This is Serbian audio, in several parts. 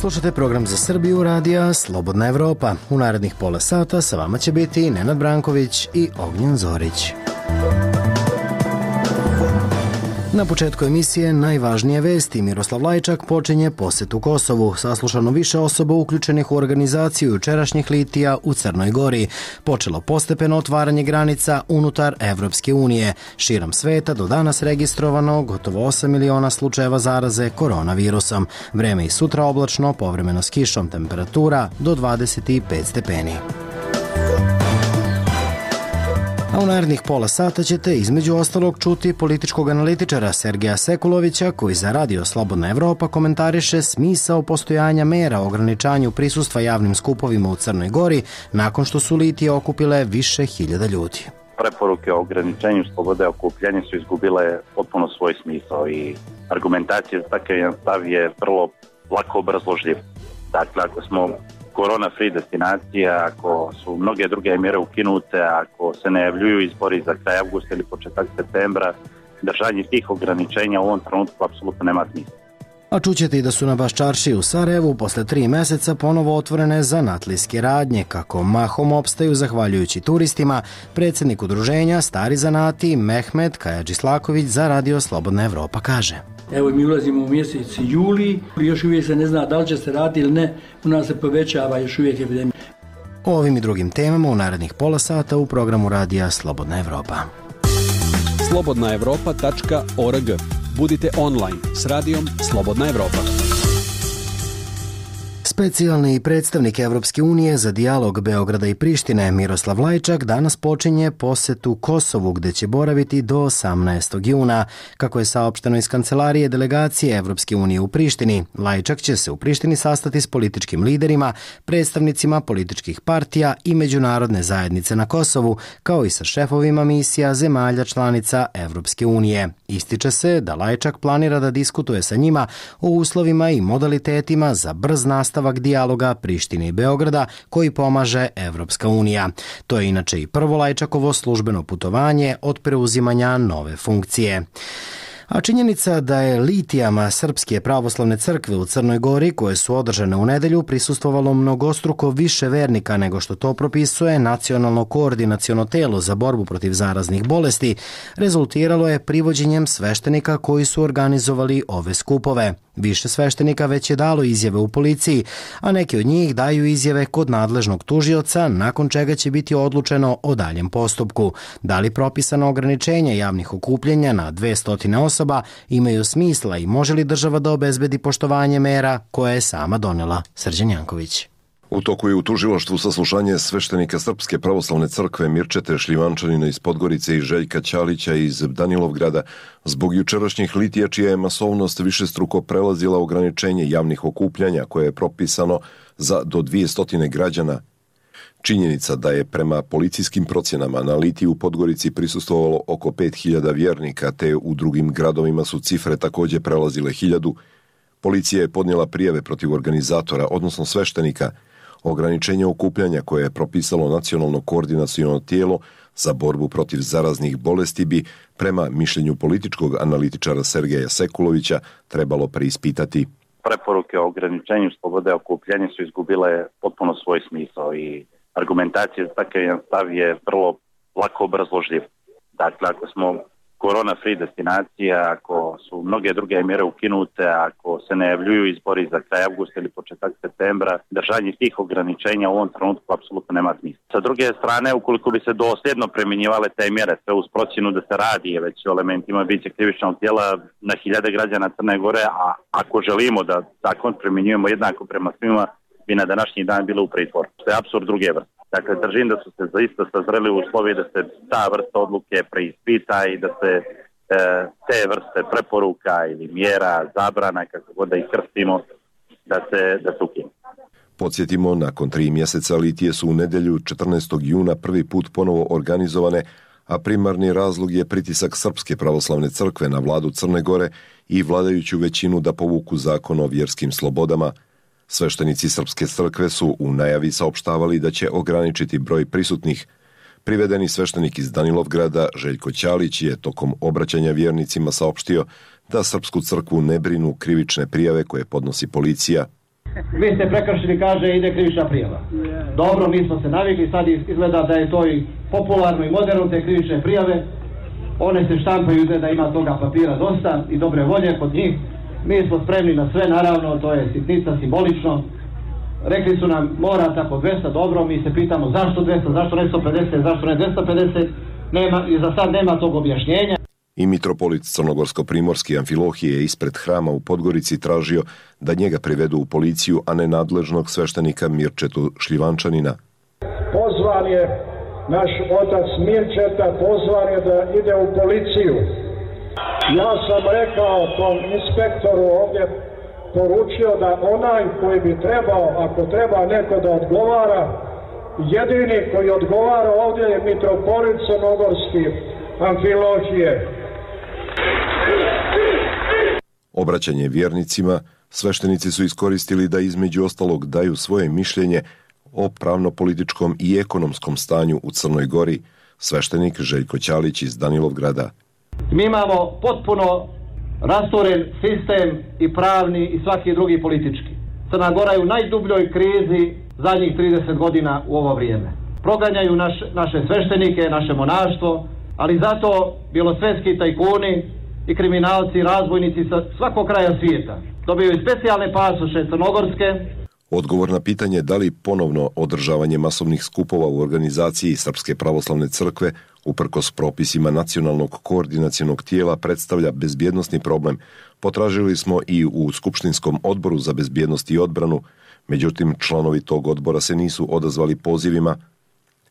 Slušate program za Srbiju radija Slobodna Evropa. U narednih pola sata sa vama će biti Nenad Branković i Ognjen Zorić. Na početku emisije najvažnije vesti. Miroslav Lajčak počinje posetu Kosovu. Saslušano više osoba uključenih u organizaciju jučerašnjih litija u Crnoj Gori. Počelo postepeno otvaranje granica unutar Evropske unije. Širom sveta do danas registrovano gotovo 8 miliona slučajeva zaraze koronavirusom. Vreme i sutra oblačno, povremeno s kišom, temperatura do 25 stepeni. A u narednih pola sata ćete između ostalog čuti političkog analitičara Sergeja Sekulovića koji za radio Slobodna Evropa komentariše smisao postojanja mera o ograničanju prisustva javnim skupovima u Crnoj Gori nakon što su litije okupile više hiljada ljudi. Preporuke o ograničenju slobode okupljanja su izgubile potpuno svoj smisao i argumentacija za takav jedan stav je vrlo lako obrazložljiv. Dakle, ako smo korona-free destinacija, ako su mnoge druge mjere ukinute, ako se najavljuju izbori za kraj avgusta ili početak septembra, držanje tih ograničenja u ovom trenutku apsolutno nema smisla. A čućete i da su na Baščarši u Sarajevu posle 3 meseca ponovo otvorene zanatlijske radnje, kako mahom opstaju zahvaljujući turistima. Predsjednik udruženja Stari zanati Mehmet Kajadžislaković za radio Slobodna Evropa kaže: Evo mi ulazimo u mjesec juli, još uvijek se ne zna da li će se raditi ili ne, u nas se povećava još uvijek epidemija. O ovim i drugim temama u narednih pola sata u programu radija Slobodna Evropa. slobodnaevropa.org. Budite online s radijom Slobodna Evropa. Specijalni predstavnik Evropske unije za dijalog Beograda i Prištine Miroslav Lajčak danas počinje posetu Kosovu gdje će boraviti do 18. juna. Kako je saopšteno iz kancelarije delegacije Evropske unije u Prištini, Lajčak će se u Prištini sastati s političkim liderima, predstavnicima političkih partija i međunarodne zajednice na Kosovu, kao i sa šefovima misija zemalja članica Evropske unije. Ističe se da Lajčak planira da diskutuje sa njima o uslovima i modalitetima za brz nastavak dijaloga Prištine i Beograda koji pomaže Evropska unija. To je inače i prvo Lajčakovo službeno putovanje od preuzimanja nove funkcije. A činjenica da je litijama Srpske pravoslavne crkve u Crnoj Gori, koje su održane u nedelju, prisustvovalo mnogostruko više vernika nego što to propisuje Nacionalno koordinaciono telo za borbu protiv zaraznih bolesti, rezultiralo je privođenjem sveštenika koji su organizovali ove skupove. Više sveštenika već je dalo izjave u policiji, a neki od njih daju izjave kod nadležnog tužioca, nakon čega će biti odlučeno o daljem postupku. Da li propisano ograničenje javnih okupljenja na 200 osoba imaju smisla i može li država da obezbedi poštovanje mera koje je sama donela? Srđan Janković. U toku je u tužilaštvu saslušanje sveštenika Srpske pravoslavne crkve Mirčete Šljivančanina iz Podgorice i Željka Ćalića iz Danilovgrada zbog jučerašnjih litija čija je masovnost višestruko prelazila ograničenje javnih okupljanja koje je propisano za do 200 građana. Činjenica da je prema policijskim procjenama na litiju u Podgorici prisustvovalo oko 5000 vjernika, te u drugim gradovima su cifre također prelazile 1000. Policija je podnijela prijave protiv organizatora, odnosno sveštenika. Ograničenje okupljanja koje je propisalo Nacionalno koordinaciono tijelo za borbu protiv zaraznih bolesti bi, prema mišljenju političkog analitičara Sergeja Sekulovića, trebalo preispitati. Preporuke o ograničenju slobode okupljanja su izgubile potpuno svoj smisao i argumentacija za takav jedan stav je vrlo lako obrazložljiv. Dakle, ako smo korona-free destinacija, ako su mnoge druge mjere ukinute, ako se najavljuju izbori za kraj avgusta ili početak septembra, držanje tih ograničenja u ovom trenutku apsolutno nema smisla. Sa druge strane, ukoliko bi se dosljedno primjenjivale te mjere, sve uz procjenu da se radi već o elementima biće krivičnog tijela na hiljade građana Crne Gore, a ako želimo da zakon primjenjujemo jednako prema svima, bi na današnji dan bilo u pritvoru. To je apsurd druge vrste. Dakle, držim da su se zaista sazreli uslovi da se ta vrsta odluke preispita i da se te vrste preporuka ili mjera, zabrana, kako god da ih krstimo, da se ukinu. Podsjetimo, nakon 3 mjeseca litije su u nedjelju 14. juna prvi put ponovo organizovane, a primarni razlog je pritisak Srpske pravoslavne crkve na vladu Crne Gore i vladajuću većinu da povuku zakon o vjerskim slobodama. Sveštenici Srpske crkve su u najavi saopštavali da će ograničiti broj prisutnih. Privedeni sveštenik iz Danilovgrada Željko Ćalić je tokom obraćanja vjernicima saopštio da Srpsku crkvu ne brinu krivične prijave koje podnosi policija. vi ste prekršili, kaže, ide krivična prijava. Dobro, mi smo se navikli, sad izgleda da je to i popularno i moderno, te krivične prijave. One se štampaju da ima toga papira dosta i dobre volje kod njih. Mi smo spremni na sve, naravno, to je sitnica, simbolično. Rekli su nam, mora tako 200, dobro, mi se pitamo zašto 200, zašto ne 150, zašto ne 250, i za sad nema tog objašnjenja. I mitropolit crnogorsko-primorski Amfilohije ispred hrama u Podgorici tražio da njega privedu u policiju, a ne nadležnog sveštenika Mirčetu Šljivančanina. Pozvan je naš otac Mirčeta, pozvan je da ide u policiju. Ja sam rekao tom inspektoru ovdje, poručio da onaj koji bi trebao, ako treba neko da odgovara, jedini koji odgovara ovdje je mitropolit crnogorski Amfilohije. Obraćanje vjernicima, sveštenici su iskoristili da između ostalog daju svoje mišljenje o pravno-političkom i ekonomskom stanju u Crnoj Gori. Sveštenik Željko Ćalić iz Danilovgrada. Mi imamo potpuno rasturen sistem i pravni i svaki drugi politički. Crna Gora je u najdubljoj krizi zadnjih 30 godina u ovo vrijeme. Proganjaju naše sveštenike, naše monaštvo, ali zato bjelosvetski tajkuni i kriminalci, razbojnici sa svakog kraja svijeta dobiju specijalne pasoše crnogorske. Odgovor na pitanje da li ponovno održavanje masovnih skupova u organizaciji Srpske pravoslavne crkve uprkos propisima nacionalnog koordinacionog tijela predstavlja bezbjednosni problem, potražili smo i u Skupštinskom odboru za bezbjednost i odbranu, međutim članovi tog odbora se nisu odazvali pozivima.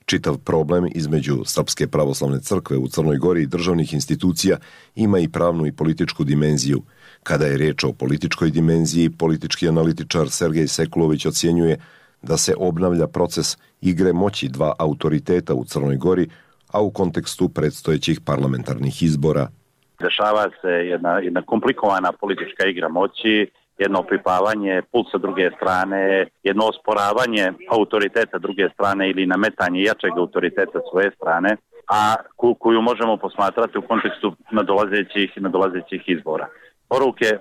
Čitav problem između Srpske pravoslavne crkve u Crnoj Gori i državnih institucija ima i pravnu i političku dimenziju. Kada je riječ o političkoj dimenziji, politički analitičar Sergej Sekulović ocjenjuje da se obnavlja proces igre moći dva autoriteta u Crnoj Gori, a u kontekstu predstojećih parlamentarnih izbora. Dešava se jedna komplikovana politička igra moći, jedno opipavanje pulsa druge strane, jedno osporavanje autoriteta druge strane ili nametanje jačeg autoriteta svoje strane, a koju možemo posmatrati u kontekstu nadolazećih izbora.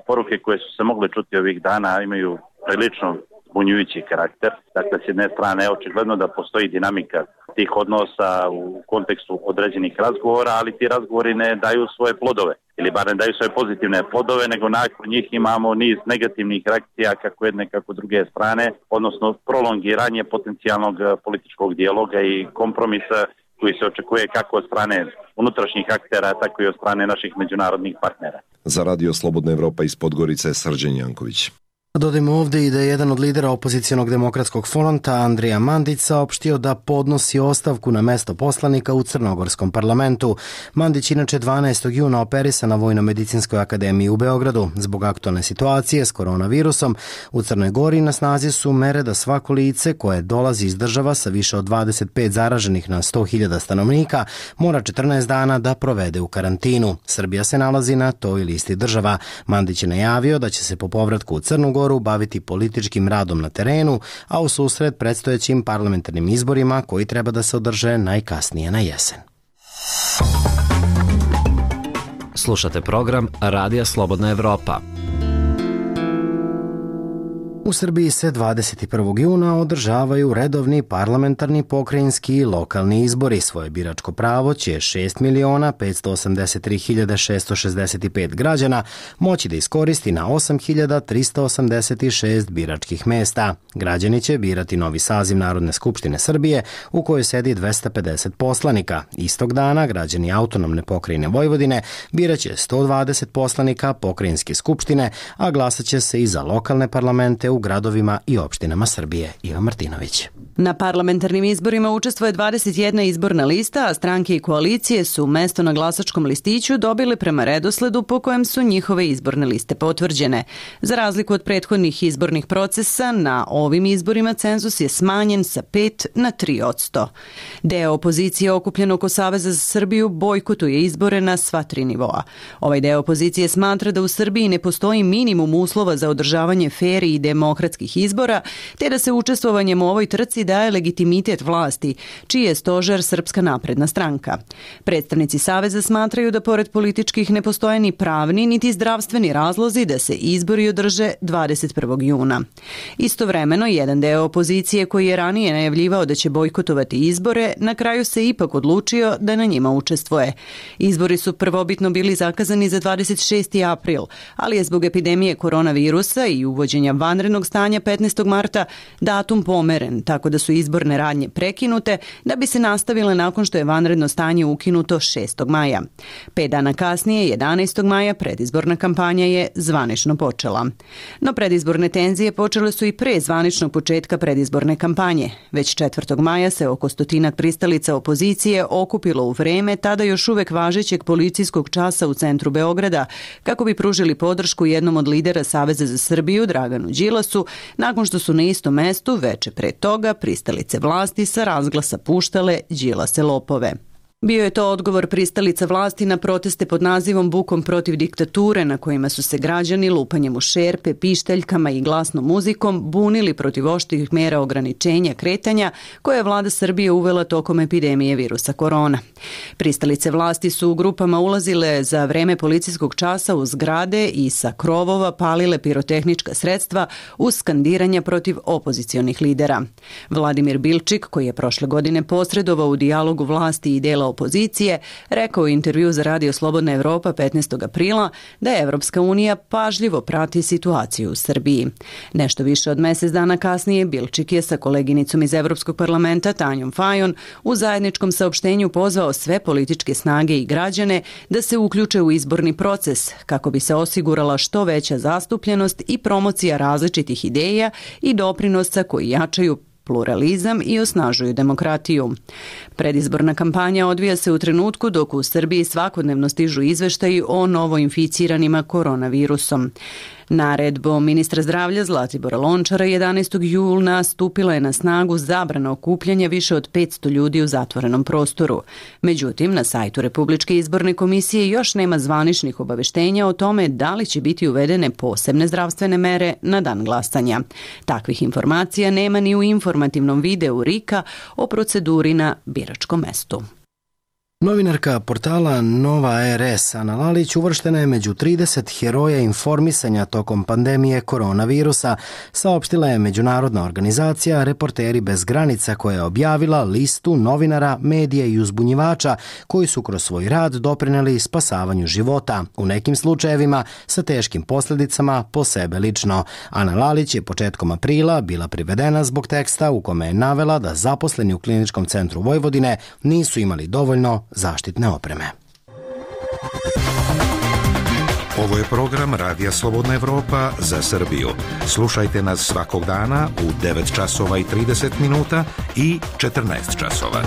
Poruke koje su se mogle čuti ovih dana imaju prilično zbunjujući karakter. Dakle, s jedne strane je očigledno da postoji dinamika tih odnosa u kontekstu određenih razgovora, ali ti razgovori ne daju svoje plodove, ili bar ne daju svoje pozitivne plodove, nego nakon njih imamo niz negativnih reakcija kako jedne kako druge strane, odnosno prolongiranje potencijalnog političkog dijaloga i kompromisa koji se očekuje kako od strane unutrašnjih aktera, tako i od strane naših međunarodnih partnera. Za Radio Slobodna Evropa iz Podgorice, Srđan Janković. Dodajmo ovdje i da je jedan od lidera opozicionog demokratskog fronta, Andrija Mandić, saopštio da podnosi ostavku na mesto poslanika u Crnogorskom parlamentu. Mandić inače 12. juna operisan na Vojno-medicinskoj akademiji u Beogradu. Zbog aktualne situacije s koronavirusom u Crnoj Gori na snazi su mere da svako lice koje dolazi iz država sa više od 25 zaraženih na 100.000 stanovnika mora 14 dana da provede u karantinu. Srbija se nalazi na toj listi država. Mandić je najavio da će se po povratku u Crnu Goru baviti političkim radom na terenu, a u susret predstojećim parlamentarnim izborima koji treba da se održe najkasnije na jesen. Slušate program Radija Slobodna Evropa. U Srbiji se 21. juna održavaju redovni parlamentarni, pokrajinski i lokalni izbori. Svoje biračko pravo će 6.583.665 građana moći da iskoristi na 8.386 biračkih mesta. Građani će birati novi saziv Narodne skupštine Srbije u kojoj sedi 250 poslanika. Istog dana građani autonomne pokrajine Vojvodine biraće 120 poslanika pokrajinske skupštine, a glasaće se i za lokalne parlamente u gradovima i opštinama Srbije. Ivan Martinović. Na parlamentarnim izborima učestvuje 21 izborna lista, a stranke i koalicije su mesto na glasačkom listiću dobile prema redosledu po kojem su njihove izborne liste potvrđene. Za razliku od prethodnih izbornih procesa, na ovim izborima cenzus je smanjen sa 5 na 3%. Deo opozicije okupljen oko Saveza za Srbiju bojkotuje izbore na sva 3 nivoa. Ovaj deo opozicije smatra da u Srbiji ne postoji minimum uslova za održavanje fer i demokratskih izbora, te da se učestvovanjem u ovoj trci daje legitimitet vlasti, čiji je stožer Srpska napredna stranka. Predstavnici Saveza smatraju da pored političkih ne postoje ni pravni niti zdravstveni razlozi da se izbori održe 21. juna. Istovremeno, jedan deo opozicije koji je ranije najavljivao da će bojkotovati izbore, na kraju se ipak odlučio da na njima učestvuje. Izbori su prvobitno bili zakazani za 26. april, ali je zbog epidemije koronavirusa i uvođenja vanrednog stanja 15. marta datum pomeren, tako da su izborne radnje prekinute da bi se nastavile nakon što je vanredno stanje ukinuto 6. maja. 5 dana kasnije, 11. maja, predizborna kampanja je zvanično počela. No predizborne tenzije počele su i pre zvaničnog početka predizborne kampanje. Već 4. maja se oko 100 pristalica opozicije okupilo u vreme tada još uvek važećeg policijskog časa u centru Beograda kako bi pružili podršku jednom od lidera Saveza za Srbiju, Draganu Đilasu, nakon što su na istom mestu veče pre toga pristalice vlasti sa razglasa puštale Đilase lopove. Bio je to odgovor pristalica vlasti na proteste pod nazivom Bukom protiv diktature, na kojima su se građani lupanjem u šerpe, pištaljkama i glasnom muzikom bunili protiv oštrih mera ograničenja kretanja koje je vlada Srbije uvela tokom epidemije virusa korona. Pristalice vlasti su u grupama ulazile za vreme policijskog časa u zgrade i sa krovova palile pirotehnička sredstva uz skandiranja protiv opozicionih lidera. Vladimir Bilčik, koji je prošle godine posredovao u dijalogu vlasti i dela opozicije, rekao u intervju za Radio Slobodna Evropa 15. aprila da Evropska unija pažljivo prati situaciju u Srbiji. Nešto više od mesec dana kasnije Bilčik je sa koleginicom iz Evropskog parlamenta Tanjom Fajon u zajedničkom saopštenju pozvao sve političke snage i građane da se uključe u izborni proces kako bi se osigurala što veća zastupljenost i promocija različitih ideja i doprinosa koji jačaju pluralizam i osnažuju demokratiju. Predizborna kampanja odvija se u trenutku dok u Srbiji svakodnevno stižu izveštaji o novoinficiranima koronavirusom. Naredbom ministra zdravlja Zlatibora Lončara 11. juna stupila je na snagu zabrana okupljanja više od 500 ljudi u zatvorenom prostoru. Međutim, na sajtu Republičke izborne komisije još nema zvaničnih obaveštenja o tome da li će biti uvedene posebne zdravstvene mere na dan glasanja. Takvih informacija nema ni u informativnom videu RIK-a o proceduri na biračkom mestu. Novinarka portala Nova RS Ana Lalić uvrštena je među 30 heroja informisanja tokom pandemije koronavirusa, saopštila je međunarodna organizacija Reporteri bez granica koja je objavila listu novinara, medija i uzbunjivača koji su kroz svoj rad doprineli spasavanju života, u nekim slučajevima sa teškim posljedicama po sebe lično. Ana Lalić je početkom aprila bila privedena zbog teksta u kome je navela da zaposleni u Kliničkom centru Vojvodine nisu imali dovoljno zaštitne opreme. Ovo je program Radija Slobodna Evropa za Srbiju. Slušajte nas svakog dana u 9 časova i 30 minuta i 14 časova.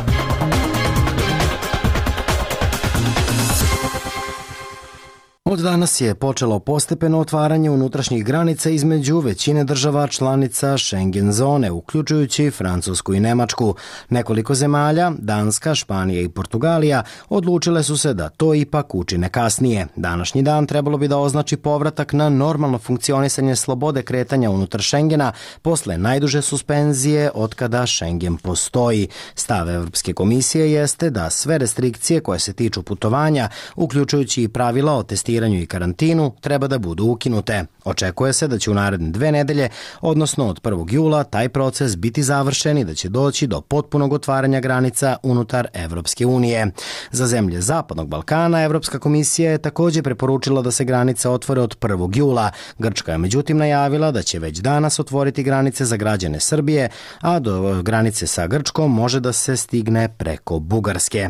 Od danas je počelo postepeno otvaranje unutrašnjih granica između većine država članica Schengen zone, uključujući Francusku i Nemačku. Nekoliko zemalja, Danska, Španija i Portugalija, odlučile su se da to ipak učine kasnije. Današnji dan trebalo bi da označi povratak na normalno funkcionisanje slobode kretanja unutar Schengena posle najduže suspenzije otkada Schengen postoji. Stav Evropske komisije jeste da sve restrikcije koje se tiču putovanja, uključujući i pravila o testiranju i karantinu, treba da budu ukinute. Očekuje se da će u naredne 2 nedelje, odnosno od 1. jula, taj proces biti završen i da će doći do potpunog otvaranja granica unutar Evropske unije. Za zemlje Zapadnog Balkana Evropska komisija je također preporučila da se granice otvore od 1. jula. Grčka je međutim najavila da će već danas otvoriti granice za građane Srbije, a do granice sa Grčkom može da se stigne preko Bugarske.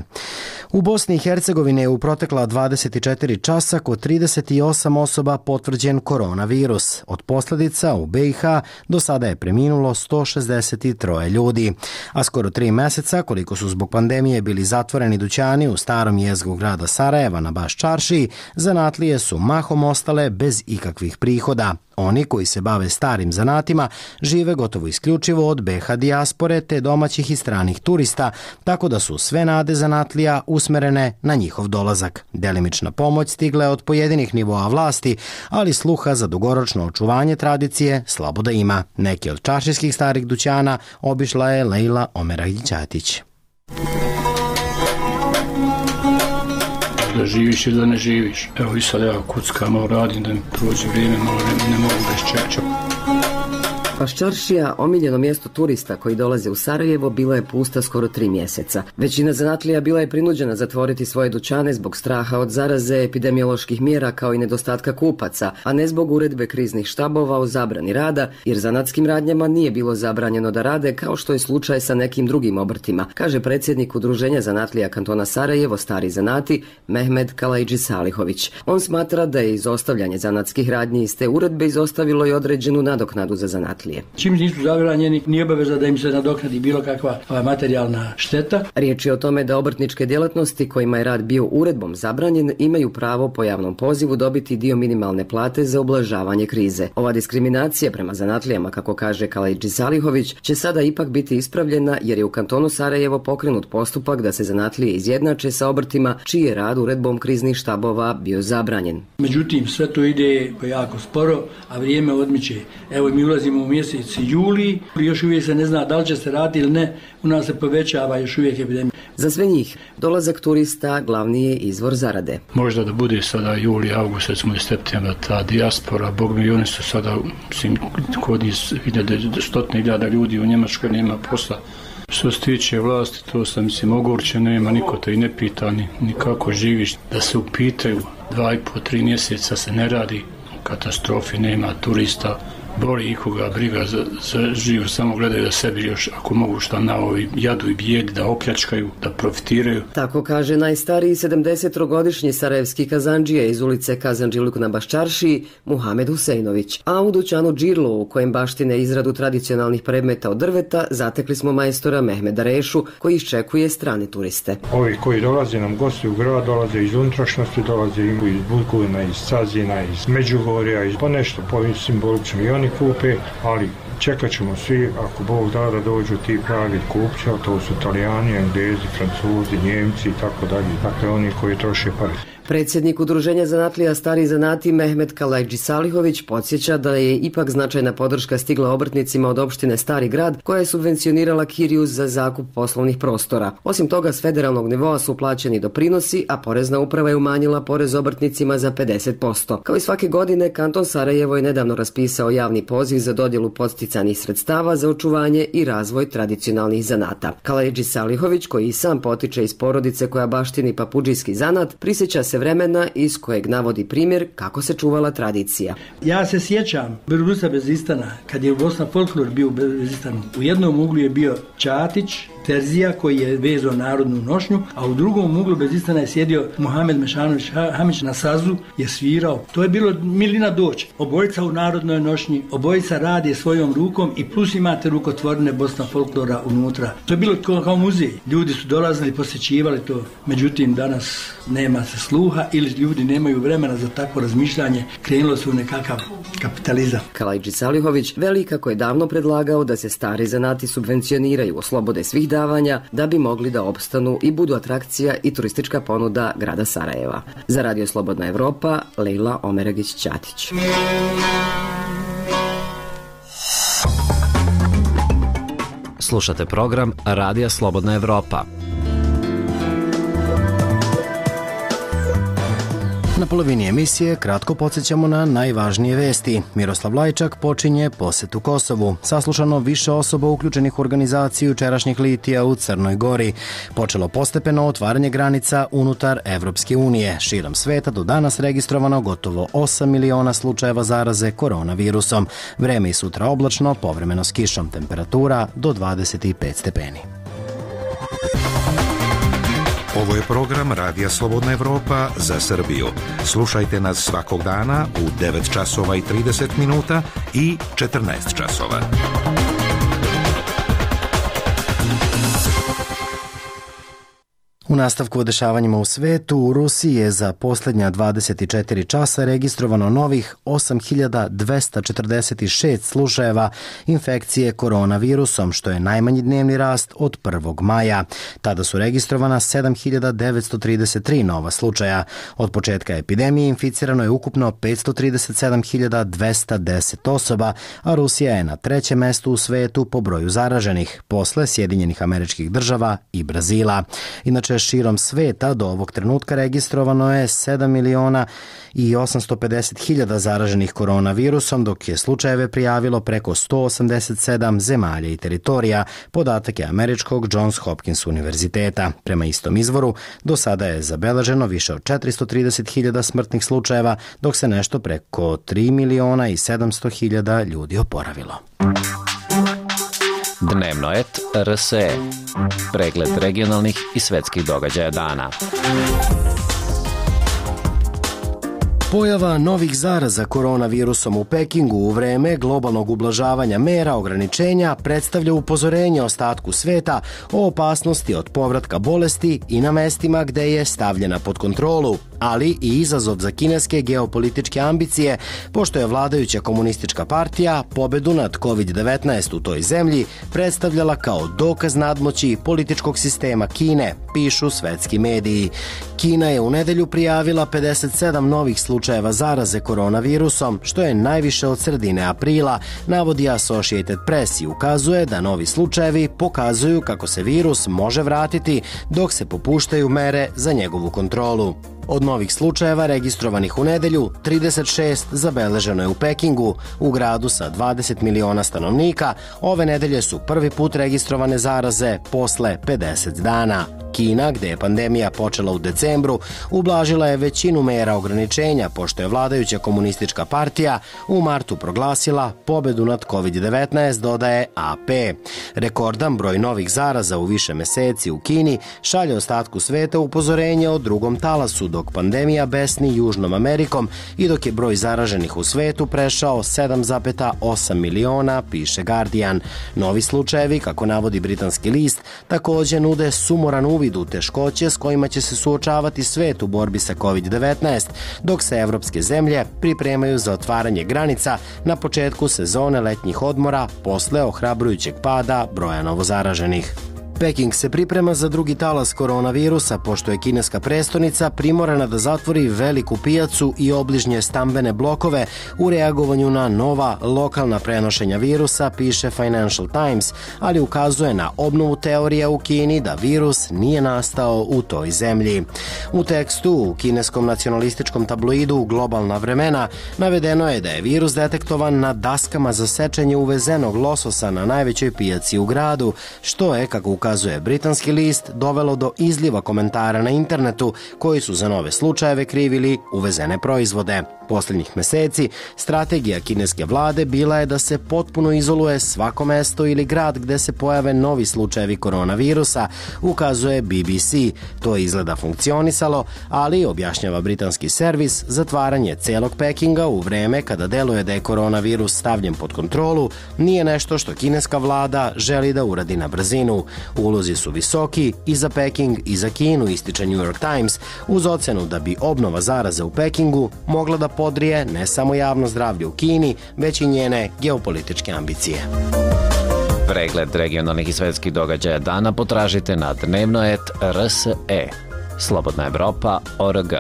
U Bosni i Hercegovini je u protekla 24 časa kod 38 osoba potvrđen koronavirus. Od posljedica u BiH do sada je preminulo 163 ljudi. A skoro 3 meseca, koliko su zbog pandemije bili zatvoreni dućani u starom jezgru grada Sarajeva na Baš čaršiji, zanatlije su mahom ostale bez ikakvih prihoda. Oni koji se bave starim zanatima žive gotovo isključivo od BH dijaspore te domaćih i stranih turista, tako da su sve nade zanatlija usmerene na njihov dolazak. Delimična pomoć stigla je od pojedinih nivoa vlasti, ali sluha za dugoročno očuvanje tradicije slabo da ima. Neki od čaršijskih starih dućana obišla je Lejla Omeragić-Ćatić. Da živiš ili da ne živiš. Evo i sad ja kuckam, radim da mi prođe vrijeme, malo ne mogu bez čeča. Baščaršija, omiljeno mjesto turista koji dolaze u Sarajevo, bila je pusta skoro 3 mjeseca. Većina zanatlija bila je prinuđena zatvoriti svoje dućane zbog straha od zaraze, epidemioloških mjera kao i nedostatka kupaca, a ne zbog uredbe kriznih štabova o zabrani rada, jer zanatskim radnjama nije bilo zabranjeno da rade kao što je slučaj sa nekim drugim obrtima, kaže predsjednik Udruženja zanatlija kantona Sarajevo Stari zanati Mehmed Kalajđi Salihović. On smatra da je izostavljanje zanatskih radnji iz te uredbe izostavilo i određenu nadoknadu za zanatlije. Čim nisu zabranjeni, nije obaveza da im se nadoknadi bilo kakva materijalna šteta. Riječ je o tome da obrtničke djelatnosti kojima je rad bio uredbom zabranjen imaju pravo po javnom pozivu dobiti dio minimalne plate za ublažavanje krize. Ova diskriminacija prema zanatlijama, kako kaže Kalajđi Salihović, će sada ipak biti ispravljena jer je u kantonu Sarajevo pokrenut postupak da se zanatlije izjednače sa obrtima čiji je rad uredbom kriznih štabova bio zabranjen. Međutim, sve to ide jako sporo, a vrijeme odmiče. Evo mi ulazimo u mjesec juli, još uvijek se ne zna da li će se raditi ili ne, u nas se povećava još uvijek epidemija. Za sve njih, dolazak turista glavni je izvor zarade. Možda da bude sada juli, august, recimo i septembar, ta dijaspora, bog mi, oni su sada, kod njih 100.000 ljudi u Njemačkoj nema posla. Što se tiče vlasti, to sam ogorčen, nema, niko te i ne pita ni kako živiš. Da se upitaju, 2,5-3 mjeseca se ne radi, katastrofi, nema turista, boli ikoga briga za život, samo gledaju da sebi još, ako mogu šta na ovi jadu i bijedi, da opljačkaju, da profitiraju. Tako kaže najstariji 70-godišnji sarajevski kazandžija iz ulice Kazandžiluk na Baščaršiji, Muhamed Husejnović. A u dućanu Džirlo, u kojem baštine izradu tradicionalnih predmeta od drveta, zatekli smo majstora Mehmeda Rešu, koji iščekuje strane turiste. Ovi koji dolaze nam gosti u grad, dolaze iz unutrašnjosti, dolaze iz Bujkovina, iz Cazina, iz Međugorja, iz ponešto simbolično i oni kupe, ali čekat ćemo svi, ako Bog da dođu ti pravi kupci, a to su Italijani, Englezi, Francuzi, Njemci i tako dalje, dakle oni koji troše pare. Predsjednik Udruženja zanatlija Stari zanati Mehmed Kalajđi Salihović podsjeća da je ipak značajna podrška stigla obrtnicima od opštine Stari grad koja je subvencionirala kiriju za zakup poslovnih prostora. Osim toga, s federalnog nivoa su plaćeni doprinosi, a porezna uprava je umanjila porez obrtnicima za 50%. Kao i svake godine, kanton Sarajevo je nedavno raspisao javni poziv za dodjelu podsticanih sredstava za očuvanje i razvoj tradicionalnih zanata. Kalajđi Salihović, koji i sam potiče iz porodice koja baštini papudžijski zanat, prisjeća se vremena iz kojeg navodi primjer kako se čuvala tradicija. Ja se sjećam Berusa Bezistana, kad je u Bosna folklor bio u Bezistanu. U jednom uglu je bio Ćatić, Terzija koji je vezao narodnu nošnju, a u drugom uglu Bezistana je sjedio Muhamed Mešanović Hamić na sazu, je svirao. To je bilo milina doći. Obojica u narodnoj nošnji, obojica radi svojom rukom i plus imate rukotvorne Bosna folklora unutra. To je bilo kao muzej. Ljudi su dolazili, posjećivali to. Međutim, danas nema se sluha ili ljudi nemaju vremena za takvo razmišljanje. Krenulo se u nekakav kapitalizam. Kalajđi Salihović veli kako je davno predlagao da se stari zanati subvencioniraju, oslobode svih davanja da bi mogli da opstanu i budu atrakcija i turistička ponuda grada Sarajeva. Za Radio Slobodna Evropa, Lejla Omeragić-Ćatić. Slušate program Radija Slobodna Evropa. Na polovini emisije kratko podsjećamo na najvažnije vesti. Miroslav Lajčak počinje posetu Kosovu. Saslušano više osoba uključenih u organizaciju jučerašnjih litija u Crnoj Gori. Počelo postepeno otvaranje granica unutar Evropske unije. Širom sveta do danas registrovano gotovo 8 miliona slučajeva zaraze koronavirusom. Vreme i sutra oblačno, povremeno s kišom. Temperatura do 25 stepeni. Ovo je program Radija Slobodna Evropa za Srbiju. Slušajte nas svakog dana u 9 časova i 30 minuta i 14 časova. U nastavku o dešavanjima u svetu, u Rusiji je za posljednja 24 časa registrovano novih 8246 slučajeva infekcije koronavirusom, što je najmanji dnevni rast od 1. maja. Tada su registrovana 7933 nova slučaja. Od početka epidemije inficirano je ukupno 537.210 osoba, a Rusija je na 3. mestu u svetu po broju zaraženih, posle Sjedinjenih Američkih Država i Brazila. Inače, širom sveta do ovog trenutka registrovano je 7.850.000 zaraženih koronavirusom, dok je slučajeve prijavilo preko 187 zemalja i teritorija, podatak je američkog Johns Hopkins univerziteta. Prema istom izvoru, do sada je zabeleženo više od 430.000 smrtnih slučajeva, dok se nešto preko 3.700.000 ljudi oporavilo. Dnevno et RSE. Pregled regionalnih i svetskih događaja dana. Pojava novih zaraza koronavirusom u Pekingu u vreme globalnog ublažavanja mera ograničenja predstavlja upozorenje ostatku sveta o opasnosti od povratka bolesti i na mestima gde je stavljena pod kontrolu, ali i izazov za kineske geopolitičke ambicije, pošto je vladajuća komunistička partija pobedu nad COVID-19 u toj zemlji predstavljala kao dokaz nadmoći političkog sistema Kine, pišu svetski mediji. Kina je u nedelju prijavila 57 novih slučajeva zaraze koronavirusom, što je najviše od sredine aprila, navodi Associated Press i ukazuje da novi slučajevi pokazuju kako se virus može vratiti dok se popuštaju mere za njegovu kontrolu. Od novih slučajeva registrovanih u nedelju, 36 zabeleženo je u Pekingu, u gradu sa 20 miliona stanovnika. Ove nedelje su prvi put registrovane zaraze posle 50 dana. Kina, gde je pandemija počela u decembru, ublažila je većinu mera ograničenja, pošto je vladajuća komunistička partija u martu proglasila pobedu nad COVID-19, dodaje AP. Rekordan broj novih zaraza u više meseci u Kini šalje ostatku sveta upozorenje o drugom talasu, dok pandemija besni Južnom Amerikom i dok je broj zaraženih u svetu prešao 7,8 miliona, piše Guardian. Novi slučajevi, kako navodi britanski list, takođe nude sumoran uvid u teškoće s kojima će se suočavati svet u borbi sa COVID-19, dok se evropske zemlje pripremaju za otvaranje granica na početku sezone letnjih odmora posle ohrabrujućeg pada broja novozaraženih. Peking se priprema za drugi talas koronavirusa, pošto je kineska prestonica primorana da zatvori veliku pijacu i obližnje stambene blokove u reagovanju na nova lokalna prenošenja virusa, piše Financial Times, ali ukazuje na obnovu teorija u Kini da virus nije nastao u toj zemlji. U tekstu u kineskom nacionalističkom tabloidu Globalna vremena navedeno je da je virus detektovan na daskama za sečenje uvezenog lososa na najvećoj pijaci u gradu, što je, kako ukazuje britanski list, dovelo do izliva komentara na internetu koji su za nove slučajeve krivili uvezene proizvode. Posljednjih meseci strategija kineske vlade bila je da se potpuno izoluje svako mesto ili grad gde se pojave novi slučajevi koronavirusa, ukazuje BBC. To je izgleda funkcionisalo, ali, objašnjava britanski servis, zatvaranje celog Pekinga u vreme kada deluje da je koronavirus stavljen pod kontrolu nije nešto što kineska vlada želi da uradi na brzinu. Ulozi su visoki i za Peking i za Kinu, ističe New York Times, uz ocenu da bi obnova zaraze u Pekingu mogla da podrije ne samo javno zdravlje u Kini, već i njene geopolitičke ambicije. Pregled regionalnih i svetskih događaja dana potražite na dnevnoet.rse. Slobodna Evropa.org.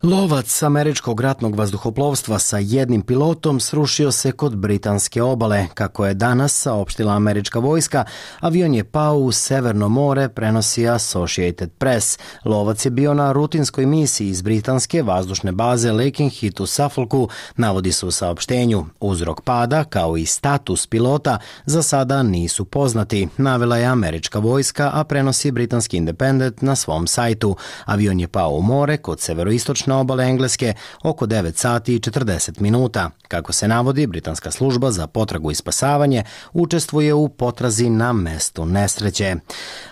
Lovac američkog ratnog vazduhoplovstva sa jednim pilotom srušio se kod britanske obale. Kako je danas saopštila američka vojska, avion je pao u Severno more, prenosi Associated Press. Lovac je bio na rutinskoj misiji iz britanske vazdušne baze Lakenheath u Suffolku, navodi se u saopštenju. Uzrok pada, kao i status pilota, za sada nisu poznati, navela je američka vojska, a prenosi britanski Independent na svom sajtu. Avion je pao u more kod severoistočne obale Engleske oko 9 sati i 40 minuta. Kako se navodi, britanska služba za potragu i spasavanje učestvuje u potrazi na mestu nesreće.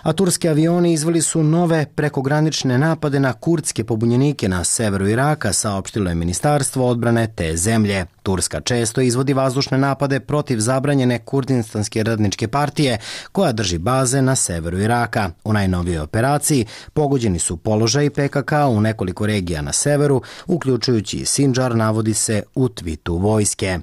A turski avioni izveli su nove prekogranične napade na kurdske pobunjenike na severu Iraka, saopštilo je Ministarstvo odbrane te zemlje. Turska često izvodi vazdušne napade protiv zabranjene Kurdistanske radničke partije koja drži baze na severu Iraka. U najnovijoj operaciji pogođeni su položaji PKK u nekoliko regija na severu, uključujući i Sindžar, navodi se u tvitu vojske.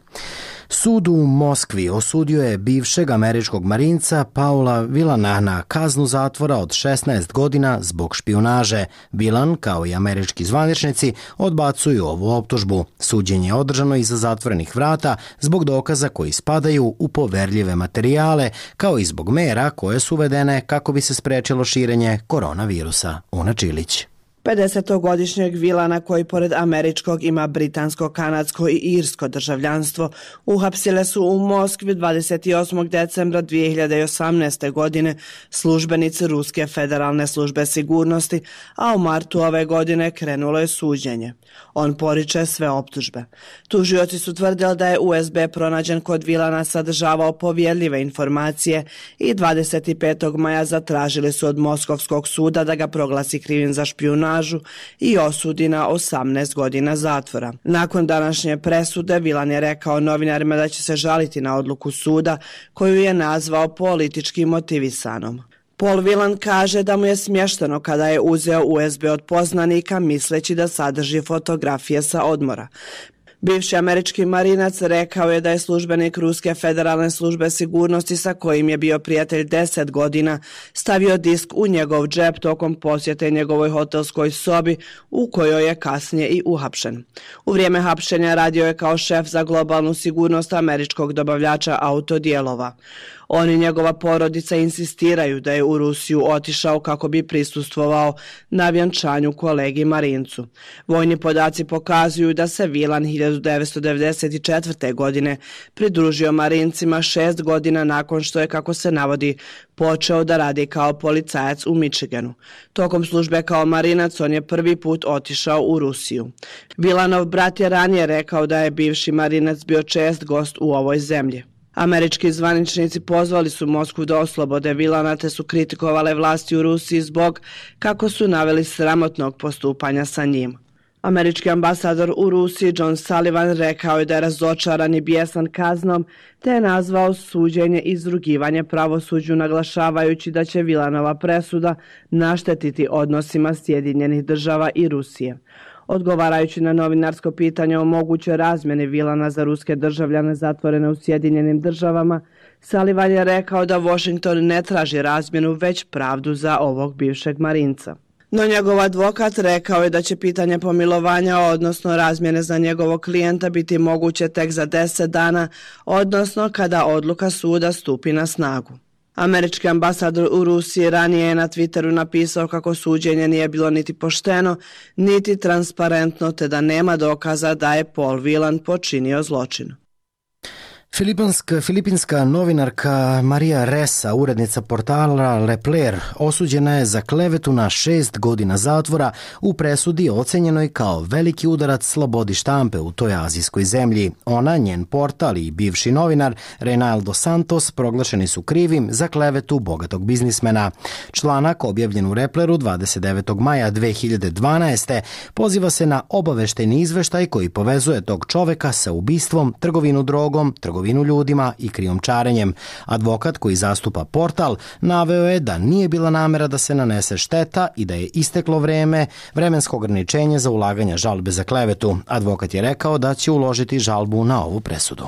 Sud u Moskvi osudio je bivšeg američkog marinca Paula Vilana na kaznu zatvora od 16 godina zbog špijunaže. Vilan, kao i američki zvaničnici, odbacuju ovu optužbu. Suđenje je održano iza zatvorenih vrata zbog dokaza koji spadaju u poverljive materijale, kao i zbog mera koje su uvedene kako bi se sprečilo širenje koronavirusa. Una Čilić. 50-godišnjeg Vilana, koji pored američkog ima britansko, kanadsko i irsko državljanstvo, uhapsile su u Moskvi 28. decembra 2018. godine službenici Ruske federalne službe sigurnosti, a u martu ove godine krenulo je suđenje. On poriče sve optužbe. Tužioci su tvrdili da je USB pronađen kod Vilana sadržavao povjerljive informacije i 25. maja zatražili su od Moskovskog suda da ga proglasi krivim za špijunažu i osudi na 18 godina zatvora. Nakon današnje presude, Vilan je rekao novinarima da će se žaliti na odluku suda koju je nazvao politički motivisanom. Paul Vilan kaže da mu je smješteno kada je uzeo USB od poznanika misleći da sadrži fotografije sa odmora. Bivši američki marinac rekao je da je službenik Ruske federalne službe sigurnosti sa kojim je bio prijatelj 10 godina stavio disk u njegov džep tokom posjete njegovoj hotelskoj sobi u kojoj je kasnije i uhapšen. U vrijeme hapšenja radio je kao šef za globalnu sigurnost američkog dobavljača autodijelova. On i njegova porodica insistiraju da je u Rusiju otišao kako bi prisustvovao na vjenčanju kolegi Marincu. Vojni podaci pokazuju da se Vilan 1994. godine pridružio Marincima 6 godina nakon što je, kako se navodi, počeo da radi kao policajac u Michiganu. Tokom službe kao marinac on je prvi put otišao u Rusiju. Vilanov brat je ranije rekao da je bivši marinac bio čest gost u ovoj zemlji. Američki zvaničnici pozvali su Moskvu da oslobode Vilana te su kritikovale vlasti u Rusiji zbog, kako su naveli, sramotnog postupanja sa njim. Američki ambasador u Rusiji John Sullivan rekao je da je razočaran i bijesan kaznom te je nazvao suđenje izrugivanje pravosuđu, naglašavajući da će Vilanova presuda naštetiti odnosima Sjedinjenih država i Rusije. Odgovarajući na novinarsko pitanje o mogućoj razmjeni Vilana za ruske državljane zatvorene u Sjedinjenim državama, Sullivan je rekao da Washington ne traži razmjenu, već pravdu za ovog bivšeg marinca. No njegov advokat rekao je da će pitanje pomilovanja, odnosno razmjene za njegovog klijenta, biti moguće tek za 10 dana, odnosno kada odluka suda stupi na snagu. Američki ambasador u Rusiji ranije je na Twitteru napisao kako suđenje nije bilo niti pošteno, niti transparentno, te da nema dokaza da je Paul Vilan počinio zločin. Filipinska novinarka Maria Ressa, urednica portala Lepler, osuđena je za klevetu na 6 godina zatvora u presudi ocenjenoj kao veliki udarac slobodi štampe u toj azijskoj zemlji. Ona, njen portal i bivši novinar Reynaldo Santos proglašeni su krivim za klevetu bogatog biznismena. Članak objavljen u Lepleru 29. maja 2012. poziva se na obaveštajni izveštaj koji povezuje tog čoveka sa ubistvom, trgovinu drogom, trgovinu ljudima i krijumčarenjem. Advokat koji zastupa portal naveo je da nije bila namera da se nanese šteta i da je isteklo vremensko ograničenje za ulaganje žalbe za klevetu. Advokat je rekao da će uložiti žalbu na ovu presudu.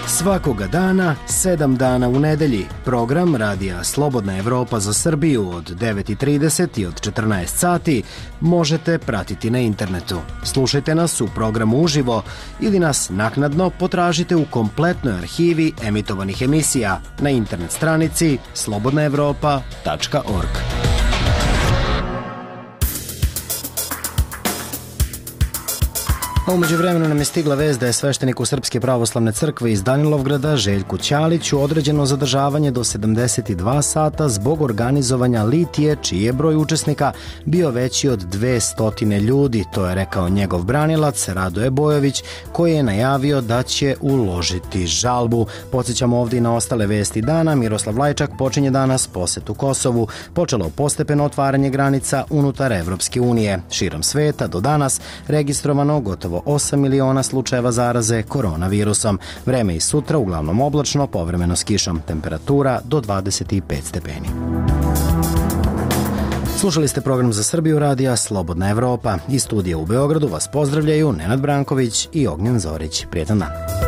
Svakoga dana, 7 dana u nedelji, program Radija Slobodna Evropa za Srbiju od 9:30 i od 14 sati možete pratiti na internetu. Slušajte nas u programu uživo ili nas naknadno potražite u kompletnoj arhivi emitovanih emisija na internet stranici slobodnaevropa.org. A umeđu vremenu nam je stigla vest da je svešteniku Srpske pravoslavne crkve iz Danilovgrada Željku Ćaliću određeno zadržavanje do 72 sata zbog organizovanja litije, čiji je broj učesnika bio veći od 200 ljudi. To je rekao njegov branilac Radoje Bojović, koji je najavio da će uložiti žalbu. Podsjećamo ovdje i na ostale vesti dana. Miroslav Lajčak počinje danas posetu Kosovu. Počelo postepeno otvaranje granica unutar Evropske unije. Širom sveta do danas registrovano gotovo gotovo 8 miliona slučajeva zaraze koronavirusom. Vreme i sutra uglavnom oblačno, povremeno s kišom. Temperatura do 25 stepeni. Slušali ste program za Srbiju radija Slobodna Evropa. Iz studija u Beogradu vas pozdravljaju Nenad Branković i Ognjen Zorić. Prijetan dan.